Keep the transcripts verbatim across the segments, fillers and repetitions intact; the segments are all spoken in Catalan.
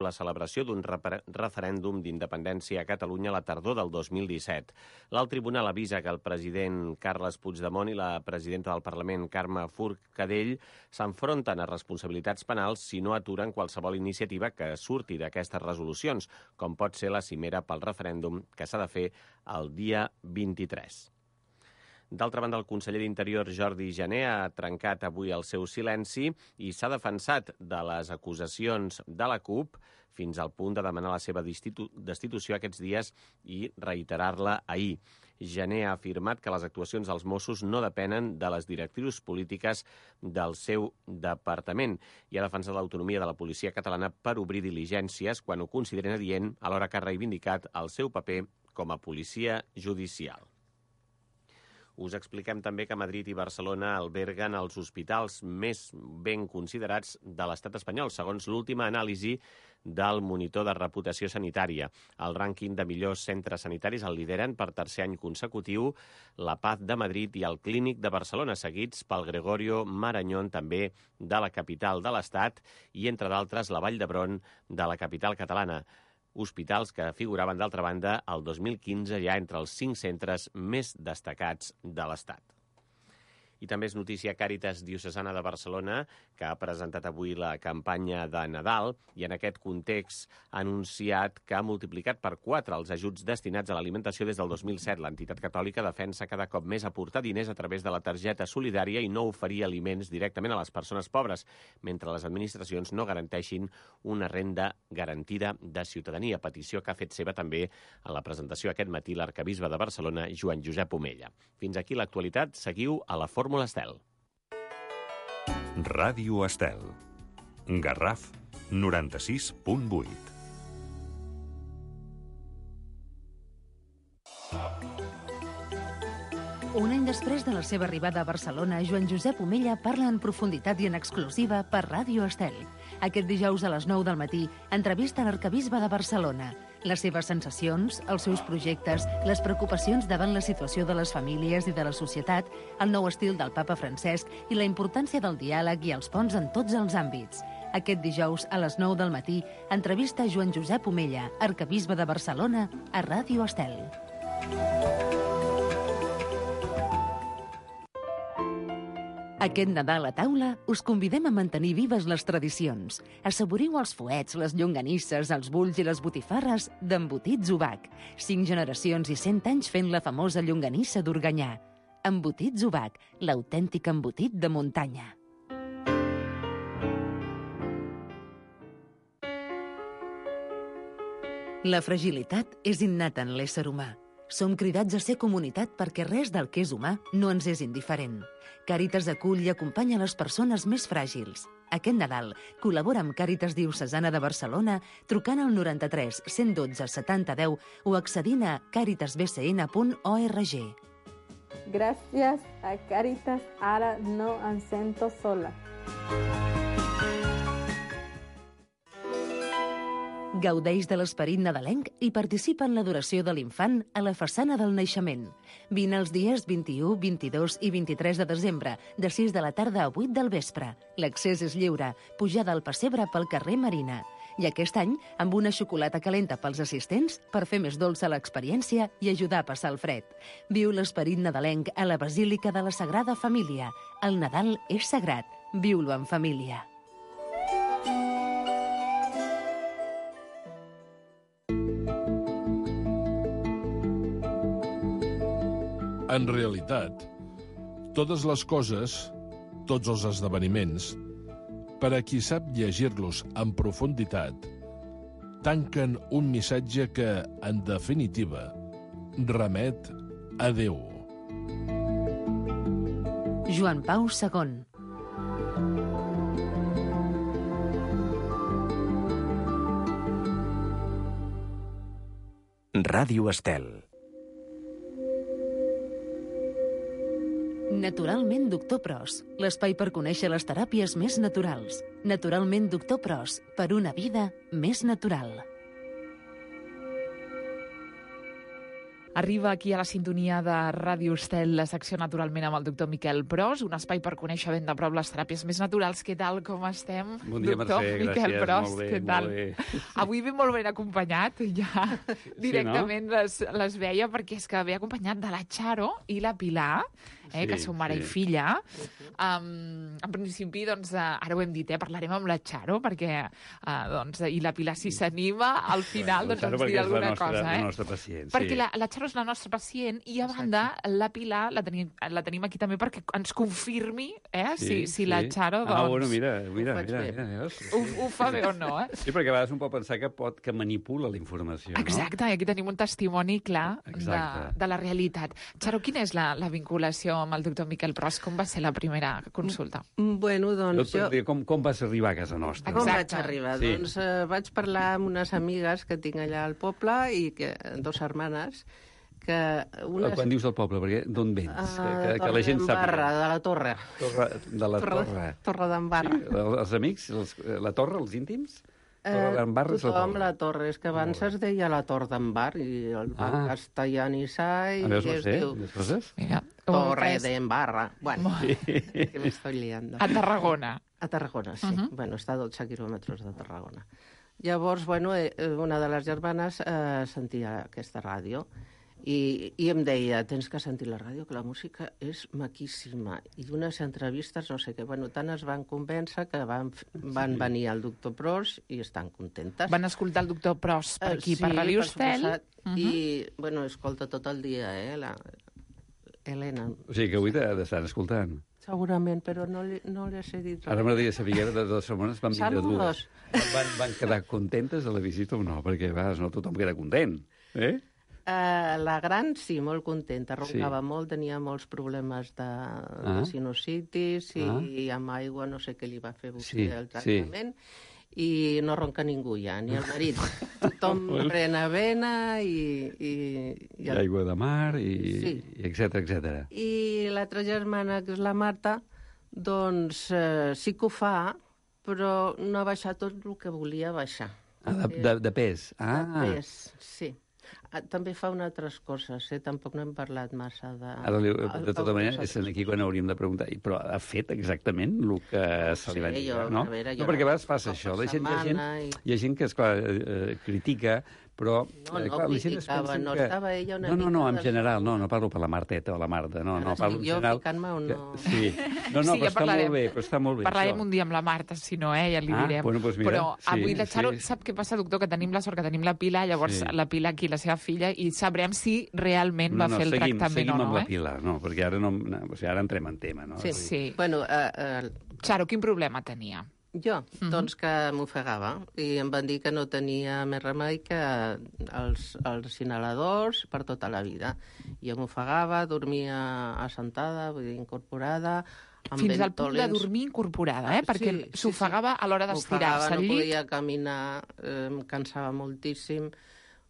la celebració d'un referèndum d'independència a Catalunya a la tardor del dos mil disset. L'alt tribunal avisa que el president Carles Puigdemont i la presidenta del Parlament, Carme Forcadell, s'enfronten a responsabilitats penals si no aturen qualsevol iniciativa que surti d'aquestes resolucions, com pot ser la cimera pel referèndum que s'ha de fer el dia vint-i-tres. D'altra banda, el conseller d'Interior, Jordi Jané, ha trencat avui el seu silenci i s'ha defensat de les acusacions de la CUP fins al punt de demanar la seva destitu- destitució aquests dies i reiterar-la ahir. Jané ha afirmat que les actuacions dels Mossos no depenen de les directrius polítiques del seu departament i ha defensat l'autonomia de la policia catalana per obrir diligències quan ho consideren adient, alhora que ha reivindicat el seu paper com a policia judicial. Us expliquem també que Madrid i Barcelona alberguen els hospitals més ben considerats de l'estat espanyol, segons l'última anàlisi del monitor de reputació sanitària. El rànquing de millors centres sanitaris el lideren per tercer any consecutiu la Paz de Madrid i el Clínic de Barcelona, seguits pel Gregorio Marañón, també de la capital de l'estat, i, entre d'altres, la Vall d'Hebron de la capital catalana. Hospitals que figuraven, d'altra banda, el dos mil quinze ja entre els cinc centres més destacats de l'Estat. I també és notícia Càritas Diocesana de Barcelona, que ha presentat avui la campanya de Nadal i en aquest context ha anunciat que ha multiplicat per quatre els ajuts destinats a l'alimentació des del dos mil set. L'entitat catòlica defensa cada cop més aportar diners a través de la targeta solidària i no oferir aliments directament a les persones pobres, mentre les administracions no garanteixin una renda garantida de ciutadania, petició que ha fet seva també en la presentació aquest matí l'arquebisbe de Barcelona, Joan Josep Omella. Fins aquí l'actualitat. Seguiu a la Fórmula Estel. Ràdio Estel. Garraf noranta-sis punt vuit. Un any després de la seva arribada a Barcelona, Joan Josep Omella parla en profunditat i en exclusiva per Ràdio Estel. Aquest dijous a les nou del matí, entrevista l'arquebisbe de Barcelona. Les seves sensacions, els seus projectes, les preocupacions davant la situació de les famílies i de la societat, el nou estil del papa Francesc i la importància del diàleg i els ponts en tots els àmbits. Aquest dijous, a les nou del matí, entrevista Joan Josep Omella, arquebisbe de Barcelona, a Ràdio Estel. Aquest Nadal a taula us convidem a mantenir vives les tradicions. Assaboriu els fuets, les llonganisses, els bulls i les botifarres d'Embotits Ubac. Cinc generacions i cent anys fent la famosa llonganissa d'Organyà. Embotits Ubac, l'autèntic embotit de muntanya. La fragilitat és innata en l'ésser humà. Som cridats a ser comunitat perquè res del que és humà no ens és indiferent. Càritas acull i acompanya les persones més fràgils. Aquest Nadal col·labora amb Càritas Diocesana de Barcelona trucant al noranta-tres cent dotze setanta deu o accedint a càritas b c n punt org. Gràcies a Càritas, ara no em sento sola. Gaudeix de l'esperit nadalenc i participa en l'adoració de l'infant a la façana del naixement. Vine els dies vint-i-u, vint-i-dos i vint-i-tres de desembre, de sis de la tarda a vuit del vespre. L'accés és lliure, pujada al pessebre pel carrer Marina. I aquest any, amb una xocolata calenta pels assistents per fer més dolça l'experiència i ajudar a passar el fred. Viu l'esperit nadalenc a la Basílica de la Sagrada Família. El Nadal és sagrat. Viu-lo en família. En realitat, totes les coses, tots els esdeveniments, per a qui sap llegir-los en profunditat, tanquen un missatge que, en definitiva, remet a Déu. Joan Pau segon. Ràdio Estel. Naturalment Doctor Pros, l'espai per conèixer les teràpies més naturals. Naturalment Doctor Pros, per una vida més natural. Arriba aquí a la sintonia de Ràdio Estel la secció Naturalment amb el doctor Miquel Pros, un espai per conèixer ben de prop les teràpies més naturals. Què tal, com estem? Bon dia, doctor Mercè, Miquel gràcies, Pros, molt bé, què tal? molt bé. Avui ve molt ben acompanyat, ja directament sí, no? les, les veia, perquè és que ve acompanyat de la Charo i la Pilar, eh, Sí, que són mare sí. i filla. Um, en principi, doncs, uh, ara ho hem dit, eh, parlarem amb la Charo, perquè, uh, doncs, i la Pilar, si s'anima, al final, La doncs, Charo ens perquè dirà és la alguna nostra, cosa, eh? la nostra pacient, Perquè sí. la, la Charo és la nostra pacient i, a banda, la Pilar la tenim, la tenim aquí també perquè ens confirmi eh, si, Sí, si la sí. Charo, doncs, Ah, bueno, mira, mira, faig mira, bé. mira, veus? ho, ho fa bé o no, eh? Sí, perquè a vegades un pot pensar que pot que manipula la informació, no? Exacte, i aquí tenim un testimoni clar de, Exacte. de la realitat. Charo, quina és la, la vinculació amb el doctor Miquel Pros? Com va ser la primera consulta? Bueno, Jo doncs et jo... dir, com, com vas arribar a casa nostra? Com Exacte. vaig arribar? Sí. Doncs eh, vaig parlar amb unes amigues que tinc allà al poble, i que, dos germanes, que una... Quan dius del poble, perquè d'on vens? Ah, que, que la gent Torredembarra, sàpiga. de la Torre. Torre, de la Torre, torre. Torre d'Embarra. Sí, els amics, els, la torre, els íntims? Eh, Torre d'Embarra és la tothom torre. la Torre. És que abans es deia la Torre d'Embar, i el va Ah. castellanitzar, i A veus, no es sé, diu les coses? Mira, ho Torre entès. d'Embarra. Bueno, que me estoy liando. A Tarragona. A Tarragona, sí. Uh -huh. Bueno, està a dotze quilòmetres de Tarragona. Llavors, bueno, eh, una de les germanes eh, sentia aquesta ràdio i, i em deia, tens que sentir la ràdio, que la música és maquíssima. I unes entrevistes, no sé què, bueno, tant es van convèncer que van, van venir al doctor Pros i estan contentes. Van escoltar el doctor Pros per aquí, Eh, sí, per Ràdio Estel. suposat. Uh -huh. I, bueno, escolta tot el dia, eh, la Helena. O sigui que avui t'estan escoltant. Segurament, però no li, no li has dit res. Ara m'agradaria saber de, de les setmanes van vindre Saludos. dues. Van, van quedar contentes a la visita o no? Perquè a vegades no tothom queda content. Eh? Uh, la gran, sí, molt contenta. Roncava Sí. molt, tenia molts problemes de, Ah. de sinusitis i, Ah. i amb aigua no sé què li va fer vostè Sí, el sí. tractament. I no ronca ningú ja, ni el marit. Tothom pren avena i... i, I i el aigua de mar, i, Sí. i etcètera, etcètera. I l'altra germana, que és la Marta, doncs eh, sí que ho fa, però no ha baixat tot el que volia baixar. Ah, de, de, de pes. Ah, De pes, sí. Ah, també fa unes altres coses, eh? Tampoc no hem parlat massa de... ara, li, de tota Al- manera, altres és aquí quan hauríem de preguntar, i, però ha fet exactament el que se li va sé, dir, jo, no? a veure, jo no, perquè a vegades no- passa cop això. per La gent, hi, ha gent, setmana i- hi ha gent que, esclar, eh, critica, però... No, eh, no clar, la gent es criticava, pensa no, que... estava ella una no, no, no, mica en de- general, no, no parlo per la Marteta o la Marta, no, Ara no, parlo estic en jo general... ficant-me o que- no? Sí, no, no, Sí, però ja està parlarem. molt bé, però està molt bé, Parlarem això. un dia amb la Marta, si no, eh, ja li Ah, direm. bueno, doncs mira, Però sí, avui la Charo, sí. sap què passa, doctor? Que tenim la sort que tenim la Pilar, llavors Sí. la Pilar aquí, la seva filla, i sabrem si realment va fer el seguim, tractament seguim o no, amb la eh? Pilar, no, perquè ara, no, no, o sigui, ara entrem en tema, no? Sí. Sí. Bueno, eh, eh, Charo, quin problema tenia? jo, doncs que m'ofegava i em van dir que no tenia més remei que els, els inhaladors per tota la vida. Jo m'ofegava, dormia assentada, vull dir, incorporada, amb Fins al punt de ventolins. dormir incorporada, eh? Perquè Sí, sí, s'ofegava a l'hora d'estirar-se M'ofegava, al no llit. podia caminar, eh, em cansava moltíssim.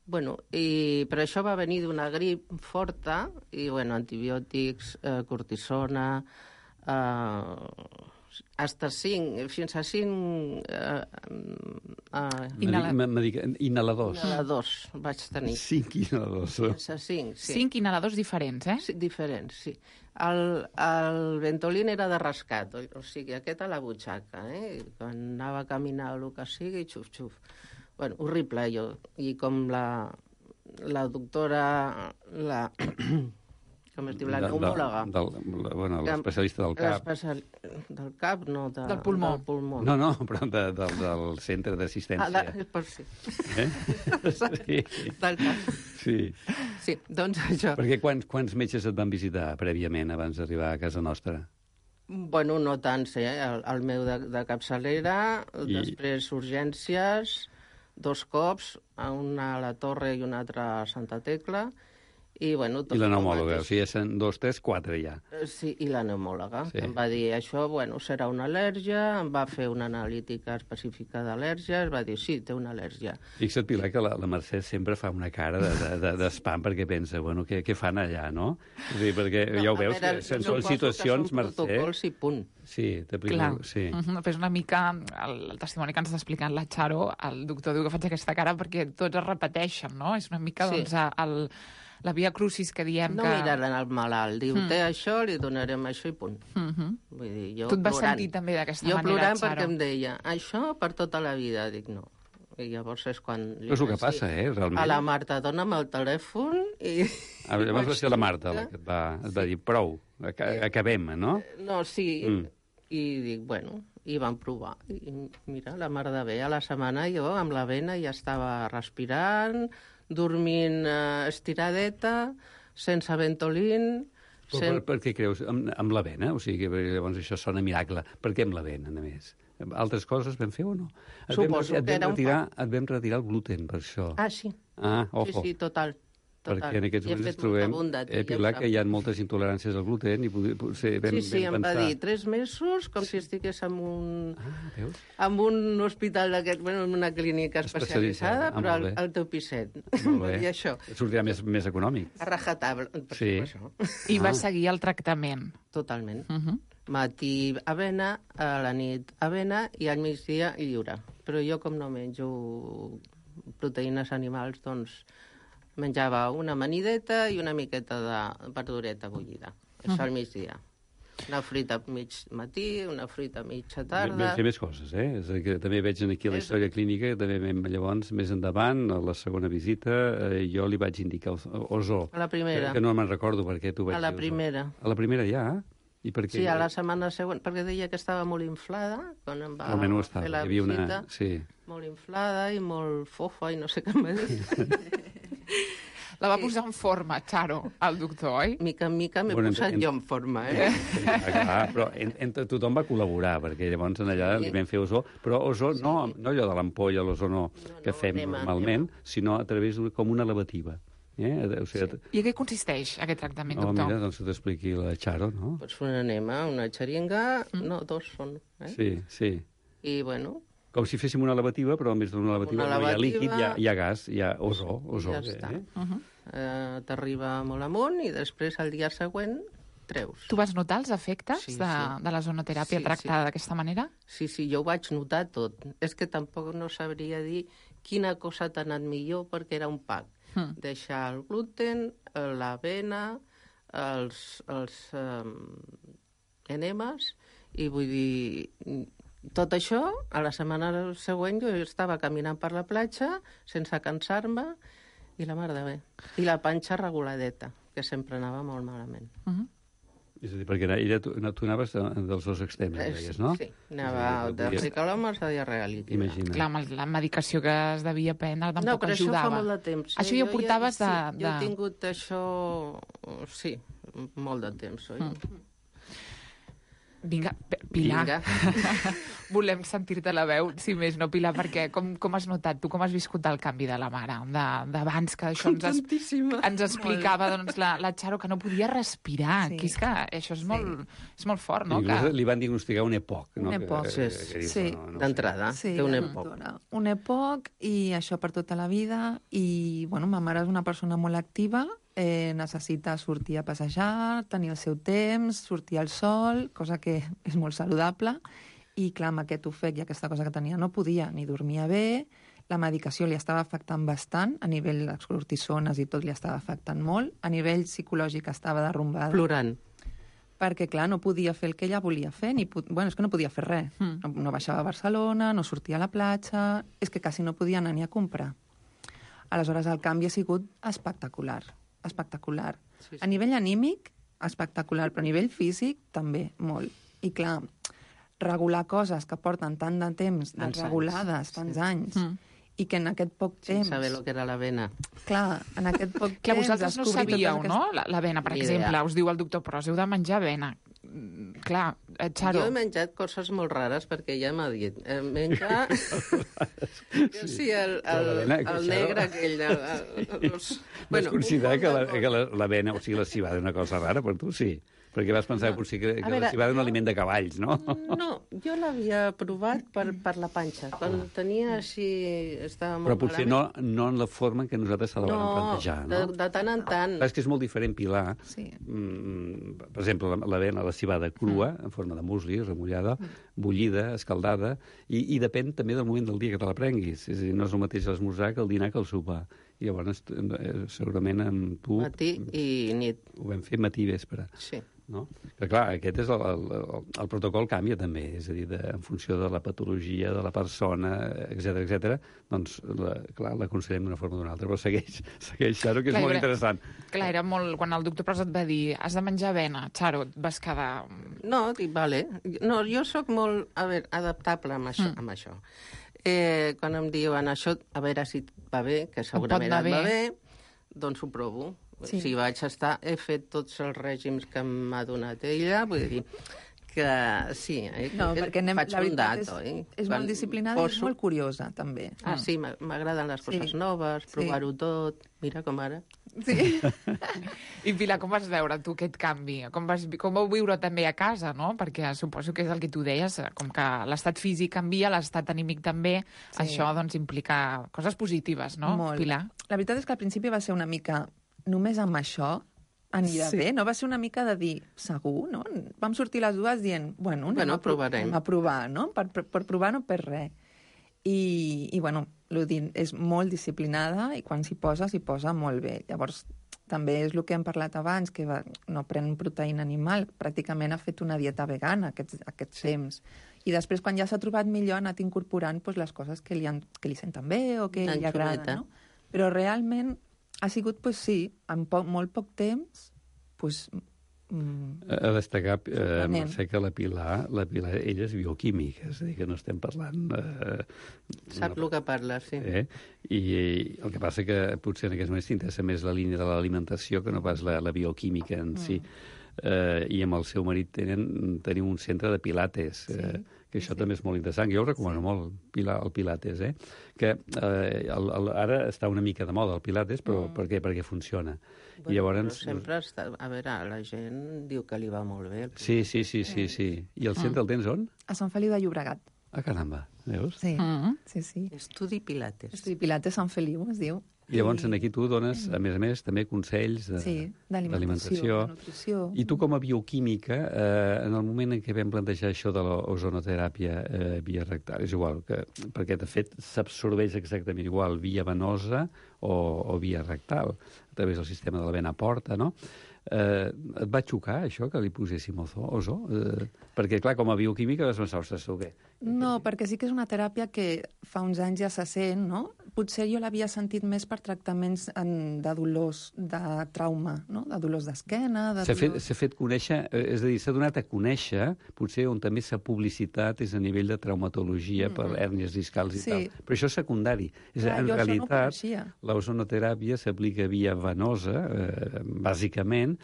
Bueno, i, però això va venir d'una grip forta, i bueno, antibiòtics, eh, cortisona, eh, hasta cinc, fins a cinc eh, eh, Inhala- Medic- medic- Inhaladors. inhaladors vaig tenir. Cinc inhaladors. Fins a cinc, sí. Cinc inhaladors diferents, eh? Sí, diferents, sí. El, el Ventolin era de rescat, o, o sigui, aquest a la butxaca, eh? I quan anava a caminar o el que sigui, xuf, xuf. Bueno, horrible, jo. I com la, la doctora, la... com es diu, la neumòloga. Del, del, bueno, l'especialista del cap. L'especial... Del cap, no. De, Del pulmó. Del pulmó. No, no, però de, de, del centre Ah, d'assistència. de, per sí. Eh? Sí. Del cap. Sí. Sí, doncs això. Perquè quants, quants metges et van visitar prèviament abans d'arribar a casa nostra? Bueno, no tants, eh? El, el meu de, de capçalera, I- després urgències, dos cops, una a la Torre i una altra a Santa Tecla, i, bueno, tot I la el neumòloga, o mateix. sigui, són dos, tres, quatre ja. Eh, Sí, i la neumòloga. Sí. Sí. Em va dir, això, bueno, serà una al·lèrgia, em va fer una analítica específica d'al·lèrgia, es va dir, sí, té una al·lèrgia. Fixa't, Pilar, que la, la Mercè sempre fa una cara d'espam de, de, d'espam perquè pensa, bueno, què, què fan allà, no? És a dir, perquè ja ho a veure, veure, que són, són suposo que situacions, són Mercè... protocols i punt. sí, t'aplico... Clar. Sí. Uh -huh. Però és una mica el, el testimoni que ens està explicant la Charo, el doctor diu que faig aquesta cara perquè tots es repeteixen, no? És una mica, Sí. doncs, el, la via crucis que diem No que... mirant al malalt, diu, Mm. té això, li donarem això i punt. Uh -huh. Vull dir, jo Tu et vas plorant. sentir també d'aquesta Jo manera, plorant Charo? perquè em deia, això per tota la vida. Dic, no. I llavors és quan... li Però és el que vaig passa, dir eh, realment. A la Marta, dona'm el telèfon i... Ah, llavors va ser la Marta la que et va, et va dir, prou, aca- acabem, no? No, sí, Mm. i dic, bueno, i vam provar. I mira, la mar de bé, a la setmana jo amb la vena ja estava respirant, dormint eh, estiradeta, sense ventolín... Però Sen... per, per què creus? Amb, amb l'avena? O sigui, que llavors això sona miracle. Per què amb l'avena, a més? Altres coses vam fer o no? Et vam, Suposo et que vam era un retirar, Et vam retirar el gluten, per això. Ah, sí. Ah, Sí, ojo. sí, total. total. Perquè en aquests I he moments ens fet trobem, molta bondat, eh, ja Pilar, ho que hi ha moltes intoleràncies al gluten i potser, potser vam, Sí, sí, vam em va pensar... dir tres mesos, com si estigués en un, Ah, veus? en un hospital d'aquest, bueno, en una clínica Especialitzada. especialitzada, Ah, però molt al, bé. al teu piset. Molt bé. I això, Et sortirà més, més econòmic. a rajatabla. Per Sí. això. I va Ah. seguir el tractament. Totalment. Uh -huh. Matí avena, a la nit avena i al migdia lliure. Però jo, com no menjo proteïnes animals, doncs menjava una amanideta i una miqueta de verdureta bullida. Això al migdia. Una fruita a mig matí, una fruita a mitja Vam tarda... fer més coses, eh? És a dir, que també veig aquí a la És- història clínica, també vam, llavors, més endavant, a la segona visita, eh, jo li vaig indicar el ozó. A la primera. Que, que no me'n recordo per què tu vaig A la dir ozó. primera. A la primera ja? I per què? Sí, a la setmana següent, perquè deia que estava molt inflada, quan em va Almenys ho estava, fer la hi havia visita, una... Sí. molt inflada i molt fofa i no sé què em va dir. La va posar en forma, Charo, el doctor, oi? Mica en mica m'he Bueno, posat en- jo en forma, eh? Ah, clar, però en, en, tothom va col·laborar, perquè llavors en allà Sí. li vam fer ozó, però ozó no, no allò de l'ampolla, l'ozó no, No, que no, fem anem a- normalment, sinó a través d'una, com una lavativa. Eh? O sigui, sí. I en què consisteix aquest tractament, Oh, doctor? mira, doncs que t'expliqui la Charo, no? Pues una enema, una xeringa, Mm. no, dos són, eh? Sí, sí. I, bueno, Com si féssim una lavativa, però en vez d'una lavativa Una no hi ha líquid, hi ha, lavativa. hi ha gas, hi ha ozó. ozó ja eh? està. Uh -huh. Eh, t'arriba molt amunt i després el dia següent treus. Tu vas notar els efectes Sí, de, sí. de la zonoteràpia Sí, tractada sí. d'aquesta manera? Sí, sí, jo ho vaig notar tot. És que tampoc no sabria dir quina cosa t'ha anat millor perquè era un pack. Mm. Deixar el gluten, eh, l'avena, els, els eh, enemes, i vull dir, tot això, a la setmana següent jo estava caminant per la platja sense cansar-me i la mar de bé. I la panxa reguladeta, que sempre anava molt malament. Uh -huh. És a dir, perquè ella, tu, tu anaves de, dels dos extrems, Eh, deies, no? Sí, anava És a dir, de podies- ricolomes a diarrea líquida. Imagina. Clar, amb la medicació que es devia prendre tampoc No, però ajudava. això fa molt de temps. Això ja ho Jo portaves sí, de- Jo he de- tingut això, sí, molt de temps. Oi? Mm. Vinga, P- Pilar, Vinga. volem sentir-te la veu, si més no, Pilar, perquè com, com has notat, tu com has viscut el canvi de la mare, de- d'abans, que això ens, es, Contentíssima. ens explicava doncs, la, la Charo que no podia respirar, Sí. que és que això és molt, és molt fort, no? Inclús Que... li van diagnosticar un E P O C, no? Un E P O C. Que- que- que dius, Sí. no, no ho sé. D'entrada, Sí, té un la èpoc. doctora. Un E P O C i això per tota la vida. I, bueno, ma mare és una persona molt activa, eh, necessita sortir a passejar, tenir el seu temps, sortir al sol, cosa que és molt saludable. I, clar, amb aquest ofec i aquesta cosa que tenia no podia ni dormia bé, la medicació li estava afectant bastant, a nivell de les cortisones i tot li estava afectant molt, a nivell psicològic estava derrumbada. Plorant. Perquè, clar, no podia fer el que ella volia fer, ni po- bueno, és que no podia fer res. Mm. No, no baixava a Barcelona, no sortia a la platja, és que quasi no podia anar ni a comprar. Aleshores, el canvi ha sigut espectacular, espectacular. Sí, sí. A nivell anímic, espectacular, però a nivell físic, també, molt. I, clar, regular coses que porten tant de temps Tants desregulades, anys, tants sí. anys, Mm. i que en aquest poc Sense temps... saber el que era l'avena. Clar, en aquest poc Clar, temps... vosaltres no descobrir totes sabíeu, aquestes- no? La- L'avena, per Ni exemple, idea. us diu el doctor, però us heu de menjar avena. Mm, Clar, eh, Charo... Jo he menjat coses molt rares perquè ja m'ha dit. Eh, menja... sí. sí, el, Però el, l'avena, el Charo- negre aquell. El, el, els... Vas considerar un que munt la- de que la- l'avena, o sigui, la cibada és una cosa rara per tu? Sí. Perquè vas pensar que potser que, que veure, la civada és un jo- aliment de cavalls, no? No, jo l'havia provat per, per la panxa. Quan tenia així... Estava molt Però potser malament. no, no en la forma en què nosaltres se la vam plantejar, de, no? de tant en tant. Clar, és que és molt diferent pilar. Sí. Mm, per exemple, la- l'avena, la civada crua, en forma de musli, remullada, bullida, escaldada, i, i depèn també del moment del dia que te la prenguis. És a dir, no és el mateix l'esmorzar que el dinar que el sopar. I llavors, eh, segurament amb tu... Matí i nit. Ho vam fer matí i vespre. Sí. No? Que, clar, aquest és el, el, el, el protocol canvia també, és a dir, de, en funció de la patologia de la persona, etcètera, etcètera, doncs, la, clar, l'aconsellem d'una forma o d'una altra, però segueix, segueix, Xaro, que és Clar, molt era- interessant. Clar, era molt... Quan el doctor Pras et va dir has de menjar avena, Xaro, et vas quedar... No, dic, vale. No, jo sóc molt, a veure, adaptable amb això. Mm. Amb això. Eh, quan em diuen això, a veure si et va bé, que segurament anar et va bé. bé, doncs ho provo. Sí. Si vaig estar... He fet tots els règims que m'ha donat ella, vull dir que sí, eh, No, que perquè anem, faig la un veritat dato. és, Eh? és Quan molt disciplinada i és poso- molt curiosa, també. Ah, sí, m'a- m'agraden les coses Sí. noves, Sí. provar-ho tot. Mira com ara. Sí. I Pilar, com vas veure tu aquest canvi? Com, vas, vi- com vau viure també a casa, no? Perquè suposo que és el que tu deies, com que l'estat físic canvia, l'estat anímic també, Sí. això doncs implica coses positives, no, Molt. Pilar? La veritat és que al principi va ser una mica només amb això anirà Sí. bé, no? Va ser una mica de dir, segur, no? Vam sortir les dues dient, bueno, anem Bueno, a, pro- provarem. anem a provar, no? Per, per, per provar no per res. I, i bueno, l'Udin és molt disciplinada i quan s'hi posa, s'hi posa molt bé. Llavors, també és el que hem parlat abans, que va, no pren proteïna animal, pràcticament ha fet una dieta vegana aquests, aquests temps. I després, quan ja s'ha trobat millor, ha anat incorporant pues, les coses que li, han, que li senten bé o que li L'anxoveta. agraden. No? Però realment ha sigut, pues, sí, en poc, molt poc temps, pues, mm, A destacar, eh, Sorprenent. Mercè, que la Pilar, la Pilar, ella és bioquímica, és a dir, que no estem parlant... Eh, Sap el que parla, sí. Eh? I, I el que passa que potser en aquests moments t'interessa més la línia de l'alimentació que no pas la, la bioquímica en si. Eh, I amb el seu marit tenen, tenim un centre de pilates, eh, que això també és molt interessant. Jo ho recomano molt, Pilar, el pilates, eh? Que eh, el, el, ara està una mica de moda el pilates, però per què? Perquè funciona. I Bueno, llavors... però sempre està... A veure, la gent diu que li va molt bé. el Sí, sí, sí, sí, sí. I el centre el tens on? a Sant Feliu de Llobregat. Ah, caramba, veus? Sí, Mm. sí, sí. Estudi Pilates. Estudi Pilates Sant Feliu, es diu. I llavors aquí tu dones, a més a més, també consells de- Sí, d'alimentació, de nutrició. I tu, com a bioquímica, eh, en el moment en què vam plantejar això de l'ozonoteràpia eh, via rectal, és igual, que, perquè de fet s'absorbeix exactament igual via venosa o, o via rectal, a través del sistema de la vena porta, no? Eh, et va xocar, això, que li poséssim ozó? ozó? Eh, perquè, clar, com a bioquímica vas pensar, ostres, o què? No, perquè sí que és una teràpia que fa uns anys ja se sent, no? Potser jo l'havia sentit més per tractaments en, de dolors de trauma, no? De dolors d'esquena, de S'ha fet, dolors... s'ha fet conèixer, eh, és a dir, s'ha donat a conèixer, potser on també s'ha publicitat és a nivell de traumatologia per hèrnies discals i Sí. tal. Però això és secundari. És, Clar, en jo això no ho realitat, coneixia. l'ozonoteràpia s'aplica via venosa, eh, bàsicament,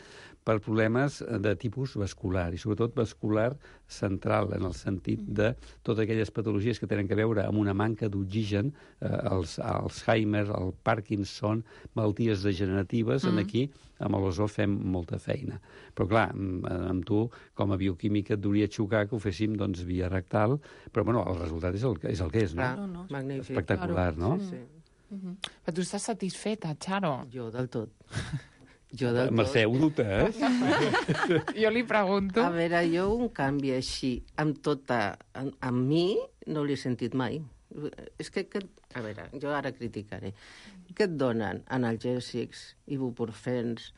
per problemes de tipus vascular, i sobretot vascular central, en el sentit de totes aquelles patologies que tenen a veure amb una manca d'oxigen, eh, els Alzheimer, el Parkinson, malalties degeneratives, mm. en aquí, amb l'ozó fem molta feina. Però clar, amb, amb tu, com a bioquímica, et hauria xocar que ho féssim doncs, via rectal, però bueno, el resultat és el, és el que és, no? Clar, No, no, magnífic. Espectacular, no? Sí, sí. Però tu estàs satisfeta, Xaro? Jo del tot. Jo del tot. Mercè, ho dubtes? Jo li pregunto. A veure, jo un canvi així, amb tota... Amb, amb mi, no l'he sentit mai. És que, que... A veure, jo ara criticaré. Què et donen? Analgèsics, ibuprofens,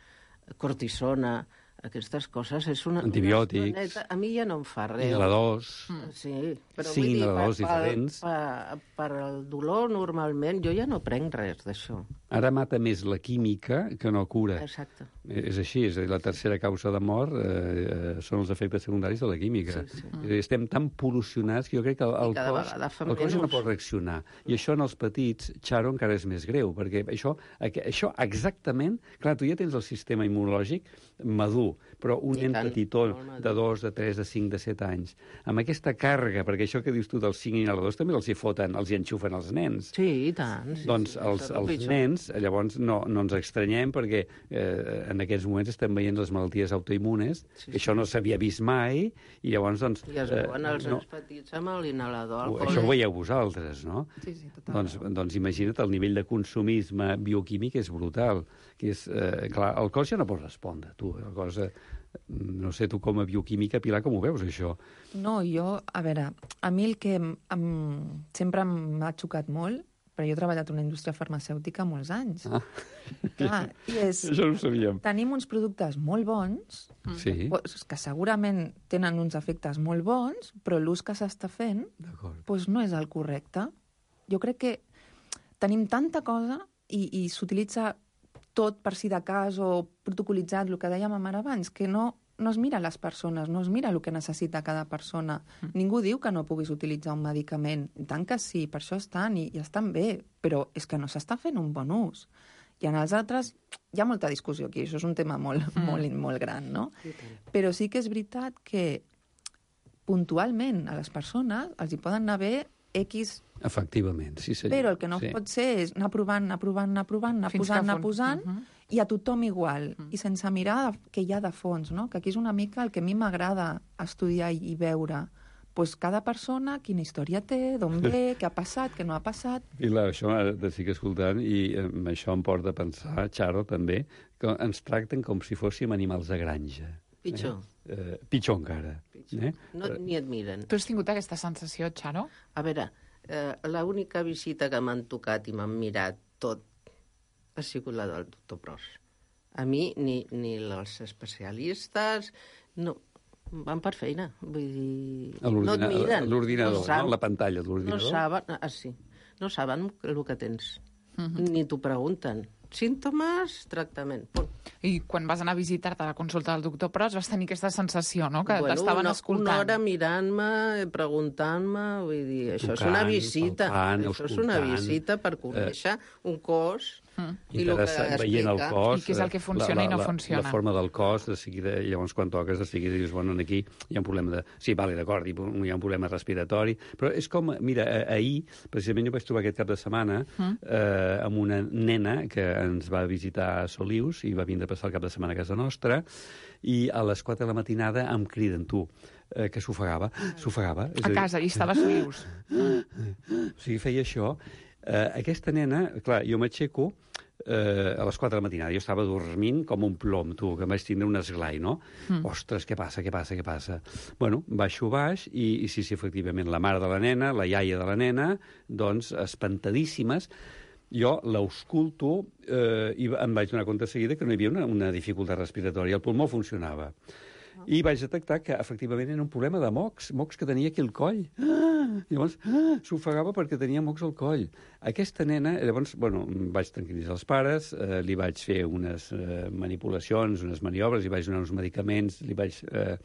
cortisona, aquestes coses és una... Antibiòtics. Una estoneta. A mi ja no em fa res. Inhaladors. Sí, però Cinc vull dir, inhaladors per, diferents. per, per el dolor, normalment, jo ja no prenc res d'això. Ara mata més la química que no cura. Exacte. És així, és a dir, la tercera causa de mort eh, eh, són els efectes secundaris de la química. Sí, sí. És a dir, estem tan pol·lucionats que jo crec que el, el cada cos, vegada fa el cos ja no menys. pot reaccionar. I això en els petits, Xaro, encara és més greu, perquè això, aqu- això exactament... Clar, tu ja tens el sistema immunològic madur, però un I nen tant, petitó molt madur. de dos, de tres, de cinc, de set anys, amb aquesta càrrega, perquè això que dius tu dels cinc inhaladors també els hi foten, els hi enxufen els nens. Sí, i tant. Sí, Doncs sí, els, és el els pitjor. nens llavors, llavors no, no ens estranyem perquè eh, en aquests moments estem veient les malalties autoimmunes, sí, sí. Això no s'havia vist mai, i llavors, doncs... I es veuen els eh, no, petits amb l'inhalador. Això ho veieu vosaltres, no? Sí, sí, totalment. Doncs, doncs imagina't, el nivell de consumisme bioquímic és brutal. Que és, eh, clar, el cos ja no pot respondre, tu. El cos, eh, no sé, tu com a bioquímica, Pilar, com ho veus, això? No, jo, a veure, a mi el que em, em, sempre m'ha xocat molt, però jo he treballat en una indústria farmacèutica molts anys. Ah. Clar, i és, això no ho sabíem. Tenim uns productes molt bons, sí. que segurament tenen uns efectes molt bons, però l'ús que s'està fent doncs no és el correcte. Jo crec que tenim tanta cosa i, i s'utilitza tot per si de cas o protocolitzat, el que dèiem ara abans, que no, no es mira les persones, no es mira el que necessita cada persona. Mm. Ningú diu que no puguis utilitzar un medicament. I tant que sí, per això estan i, i estan bé, però és que no s'està fent un bon ús. I en els altres hi ha molta discussió aquí, això és un tema molt, mm. molt, molt gran, no? Sí, però sí que és veritat que puntualment a les persones els hi poden anar bé X... Efectivament, sí senyor. Però el que no sí. pot ser és anar provant, anar provant, anar provant, anar Fins posant, anar posant, uh -huh. i a tothom igual, uh -huh. i sense mirar què hi ha de fons, no? Que aquí és una mica el que a mi m'agrada estudiar i, i veure. Pues cada persona, quina història té, d'on ve, què ha passat, què no ha passat... I la, això t'estic escoltant i eh, això em porta a pensar, Charo, també, que ens tracten com si fóssim animals de granja. Pitjor. Eh? Eh, pitjor encara. Pitjor. Eh? No, ni et miren. Tu has tingut aquesta sensació, Charo? A veure, eh, l'única visita que m'han tocat i m'han mirat tot ha sigut la del doctor Pros. A mi, ni, ni els especialistes... No, van per feina. Vull dir... No et miren. L'ordinador, no, no? La pantalla de l'ordinador. No saben, ah, sí. No saben el que tens. Uh -huh. Ni t'ho pregunten. Símptomes, tractament. Punt. I quan vas anar a visitar-te a la consulta del doctor Pros vas tenir aquesta sensació, no?, que bueno, t'estaven una, escoltant. Una hora mirant-me, preguntant-me, vull dir, això tocant, és una visita. Tocant, això escoltant, és una visita per conèixer eh, un cos... Mm. I el que veient el cos, i què és el que funciona la, la, i no funciona. La forma del cos, de seguida, llavors quan toques, de seguida dius, bueno, aquí hi ha un problema de... Sí, vale, d'acord, hi ha un problema respiratori, però és com, mira, ahir, precisament jo vaig trobar aquest cap de setmana mm. eh, amb una nena que ens va visitar a Solius i va vindre a passar el cap de setmana a casa nostra, i a les quatre de la matinada em criden, tu, eh, que s'ofegava, s'ofegava. A casa, i estava a Solius. O sigui, feia això. Eh, aquesta nena, clar, jo m'aixeco eh, a les quatre de la matinada, jo estava dormint com un plom, tu, que em vaig tindre un esglai, no? Mm. Ostres, què passa, què passa, què passa? Bueno, baixo baix, i, i sí, sí, efectivament, la mare de la nena, la iaia de la nena, doncs, espantadíssimes, jo l'ausculto eh, i em vaig donar compte de seguida que no hi havia una, una dificultat respiratòria, el pulmó funcionava. I vaig detectar que, efectivament, era un problema de mocs, mocs que tenia aquí al coll. Ah! Llavors, ah! s'ofegava perquè tenia mocs al coll. Aquesta nena, llavors, bueno, vaig tranquil·litzar els pares, eh, li vaig fer unes eh, manipulacions, unes maniobres, li vaig donar uns medicaments, li vaig... Eh,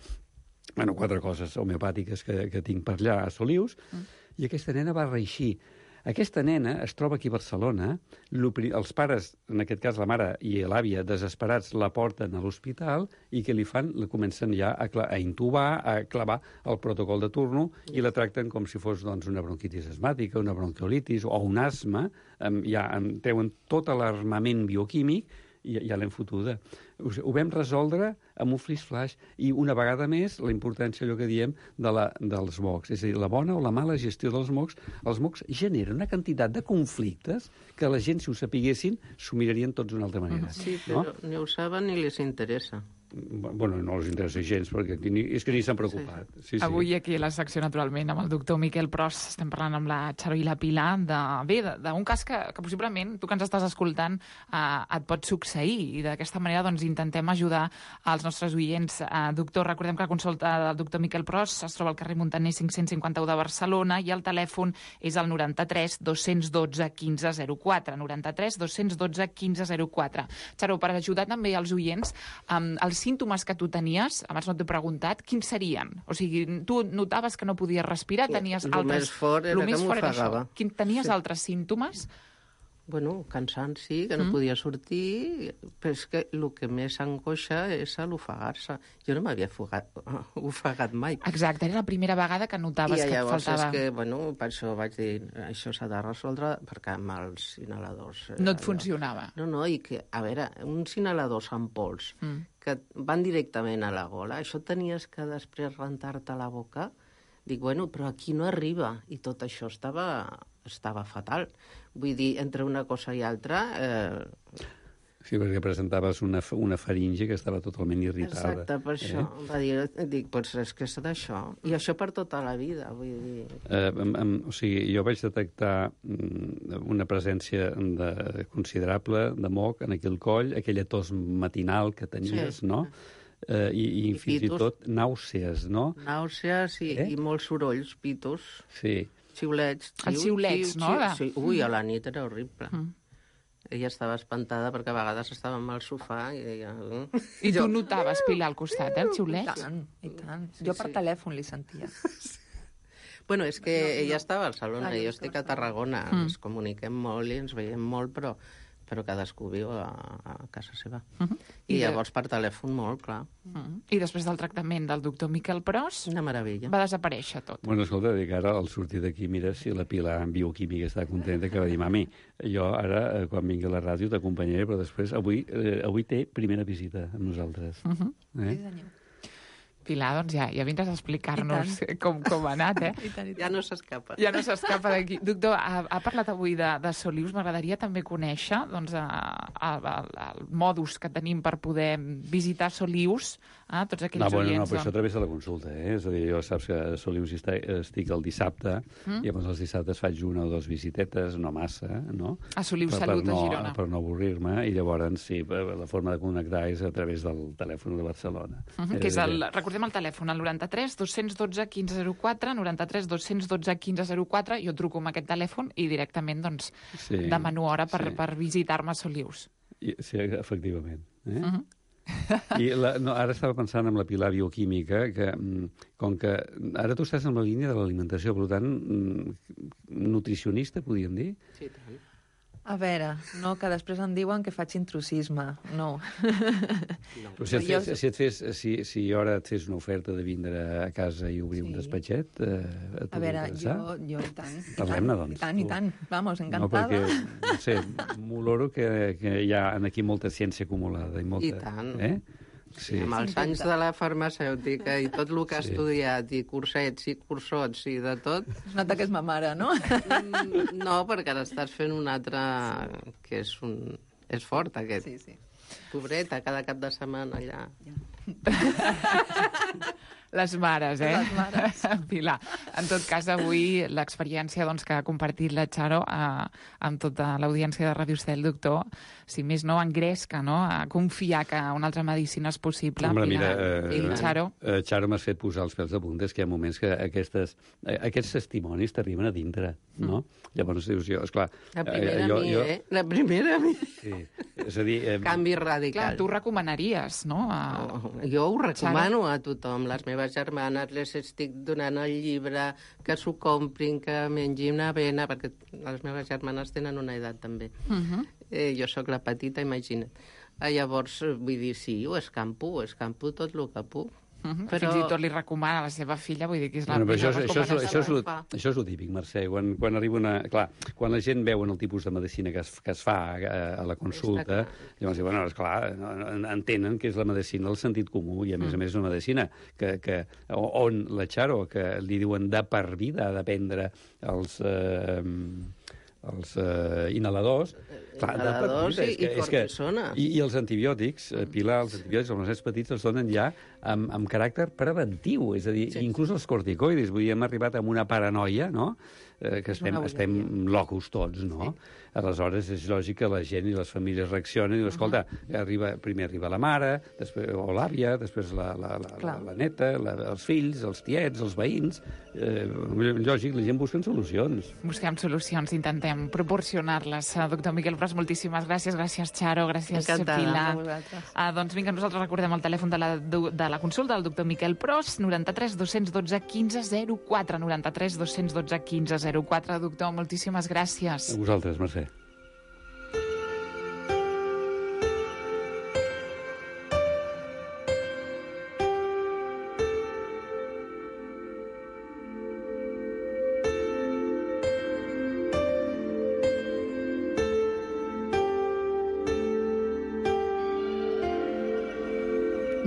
bueno, quatre coses homeopàtiques que, que tinc per allà a Solius, mm. i aquesta nena va reeixir. Aquesta nena es troba aquí a Barcelona, els pares, en aquest cas la mare i l'àvia, desesperats, la porten a l'hospital i què li fan? La comencen ja a, a intubar, a clavar el protocol de turno i la tracten com si fos doncs, una bronquitis asmàtica, una bronquiolitis o un asma. Ja treuen tot l'armament bioquímic i ja l'hem fotuda. Ho vam resoldre amb un flash-flash i una vegada més la importància, allò que diem, de la, dels mocs. És a dir, la bona o la mala gestió dels mocs. Els mocs generen una quantitat de conflictes que la gent, si ho sapiguessin, s'ho mirarien tots d'una altra manera. Sí, però no? Ni ho saben ni les interessa. Bueno, no els interessa gens, perquè ni, és que ni s'han preocupat. Sí. Sí, sí. Avui aquí a la secció, naturalment, amb el doctor Miquel Pros, estem parlant amb la Charo i la Pilar de, bé, d'un cas que, que possiblement tu que ens estàs escoltant eh, et pot succeir, i d'aquesta manera doncs, intentem ajudar als nostres oients. Eh, doctor, recordem que la consulta del doctor Miquel Pros es troba al carrer Montaner cinc-cents cinquanta-u de Barcelona i el telèfon és el noranta-tres dos-cents dotze quinze zero quatre. noranta-tres dos-cents dotze quinze zero quatre. Charo, per ajudar també als oients, eh, els símptomes que tu tenies, abans no t'he preguntat, quins serien? O sigui, tu notaves que no podies respirar, tenies lo altres... Més fort era lo més que fort era m'ofegava. això. Quin, tenies sí. altres símptomes? bueno, cansant, sí, que no mm. podia sortir, però és que el que més angoixa és l'ofegar-se. Jo no m'havia ofegat mai. Exacte, era la primera vegada que notaves I que et faltava... I llavors és que, bueno, per això vaig dir, això s'ha de resoldre, perquè amb els inhaladors... No et funcionava. No, no, i que, a veure, uns inhaladors amb pols mm. que van directament a la gola, això tenies que després rentar-te la boca. Dic, bueno, però aquí no arriba. I tot això estava, estava fatal. Vull dir, entre una cosa i altra... Eh... Sí, perquè presentaves una, una faringe que estava totalment irritada. Exacte, per això. Eh? Va dir, dic, doncs és que és d'això. I això per tota la vida, vull dir... Eh, em, em, o sigui, jo vaig detectar una presència de, considerable de moc en aquell coll, aquella tos matinal que tenies, sí. no? Eh, i, i, I fins pitos. I tot nàusees, no? Nàusees i, eh? i molts sorolls, pitos. Sí. Xiulets. Els xiulets, no? Sí, ui, a la nit era horrible. Mm. Ella estava espantada perquè a vegades estàvem al sofà i deia... I tu notaves, Pilar, al costat, eh, els xiulets? I tant, i tant. Sí, jo per sí. telèfon li sentia. Bueno, és que no, ella no. estava a Barcelona i jo estic a Tarragona. Mm. Ens comuniquem molt i ens veiem molt, però... però cadascú viu a, a casa seva. Uh -huh. I, I llavors per telèfon molt, clar. Uh -huh. I després del tractament del doctor Miquel Pros... Una meravella. Va desaparèixer tot. Bueno, escolta, dic, ara al sortir d'aquí, mira si la Pilar en bioquímica està contenta, que va dir, mami, jo ara, quan vingui a la ràdio, t'acompanyaré, però després, avui, eh, avui té primera visita amb nosaltres. Uh -huh. eh? Sí, Pilar, doncs ja, ja vindràs a explicar-nos com, com ha anat, eh? I tant, i tant. Ja no s'escapa. Ja no s'escapa d'aquí. Doctor, ha, ha parlat avui de, de Solius. M'agradaria també conèixer doncs, a, a, a, el modus que tenim per poder visitar Solius, eh? Tots aquells no, bueno, oients... No, però això a través de la consulta, eh? És a dir, jo saps que a Solius estic el dissabte, mm? i llavors els dissabtes faig una o dues visitetes, no massa, no? A Solius per, Salut, per no, a Girona. Per no avorrir-me, i llavors, sí, la forma de connectar és a través del telèfon de Barcelona. Uh -huh, que és el... Recordem el telèfon, el noranta-tres dos cents dotze quinze zero quatre, noranta-tres dos cents dotze quinze zero quatre, jo truco amb aquest telèfon i directament doncs, sí, demano hora per, sí. per visitar-me a Solius. I, sí, efectivament. Eh? Uh -huh. I la, no, ara estava pensant en la Pilar bioquímica, que com que ara tu estàs en la línia de l'alimentació, per tant, nutricionista, podríem dir? Sí, tant. A veure, no, que després em diuen que faig intrusisme. No. no. Però si, et fes, si, et fes, si, si ara et fes una oferta de vindre a casa i obrir sí. un despatxet, eh, et a veure, jo, jo i tant. Parlem-ne, doncs. I tant, i tant. Vamos, encantada. No, perquè, no sé, m'oloro que, que hi ha aquí molta ciència acumulada. I, molta, I tant. Eh? Sí. Amb els anys de la farmacèutica i tot el que ha sí. estudiat, i cursets i cursots i de tot... Es nota que és ma mare, no? No, perquè ara estàs fent un altre que és, un... és fort, aquest. Sí, sí. Pobreta, cada cap de setmana allà. Ja. Les mares, eh? Les mares. Pilar. En tot cas, avui l'experiència doncs, que ha compartit la Charo eh, amb tota l'audiència de Ràdio Estel, doctor, si més no, engresca, no?, a confiar que una altra medicina és possible. Home, mira, eh, I Charo... Eh, Charo, m'has fet posar els pèls de punta, és que hi ha moments que aquestes, eh, aquests testimonis t'arriben a dintre, no? Mm. Llavors dius, jo, esclar... La primera eh, jo, a mi, jo... eh? La primera a mi. Sí, és a dir... Eh... Canvi radical. Clar, tu recomanaries, no? A... Oh, jo ho recomano Charo. A tothom. Les meves germanes les estic donant el llibre, que s'ho comprin, que mengin una avena, perquè les meves germanes tenen una edat també. Uh -huh. eh, jo sóc la petita, imagina't. Eh, llavors, vull dir, sí, ho escampo, ho escampo tot el que puc. Uh -huh. Però... Fins i tot li recomana a la seva filla, vull dir que és la bueno, millor això, això, això, això, és lo, això és el típic, Mercè. Quan, quan arriba una... Clar, quan la gent veu el tipus de medicina que es, que es fa a, a la consulta, llavors diuen, bueno, esclar, entenen que és la medicina del sentit comú, i a més mm. a més una medicina que, que, on la Charo, que li diuen de per vida de prendre els... Eh, els eh, inhaladors, clar, inhaladors de, i, que, i cortisona. I, I els antibiòtics, eh, Pilar, els antibiòtics, els nens petits els donen ja amb, amb caràcter preventiu, és a dir, sí. inclús els corticoides. Vull dir, hem arribat amb una paranoia, no?, eh, que estem, estem locos tots, no? Sí. Aleshores, és lògic que la gent i les famílies reaccionen i diuen, escolta, arriba, primer arriba la mare, després, o l'àvia, després la, la, la, la, la neta, la, els fills, els tiets, els veïns... Eh, lògic, la gent busca solucions. Busquem solucions, intentem proporcionar-les. Doctor Miquel Pros, moltíssimes gràcies. Gràcies, Charo. Gràcies, Encantada, Pilar. Ah, doncs vinga, nosaltres recordem el telèfon de la, de la consulta del doctor Miquel Pros, noranta-tres dos cents dotze quinze zero quatre, noranta-tres dos cents dotze quinze zero quatre. Doctor, moltíssimes gràcies. A vosaltres, Mercè.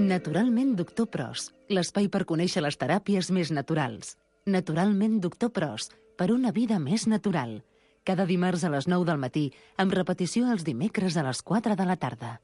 Naturalment Doctor Pros, l'espai per conèixer les teràpies més naturals. Naturalment Doctor Pros, per una vida més natural. Cada dimarts a les nou del matí, amb repetició els dimecres a les quatre de la tarda.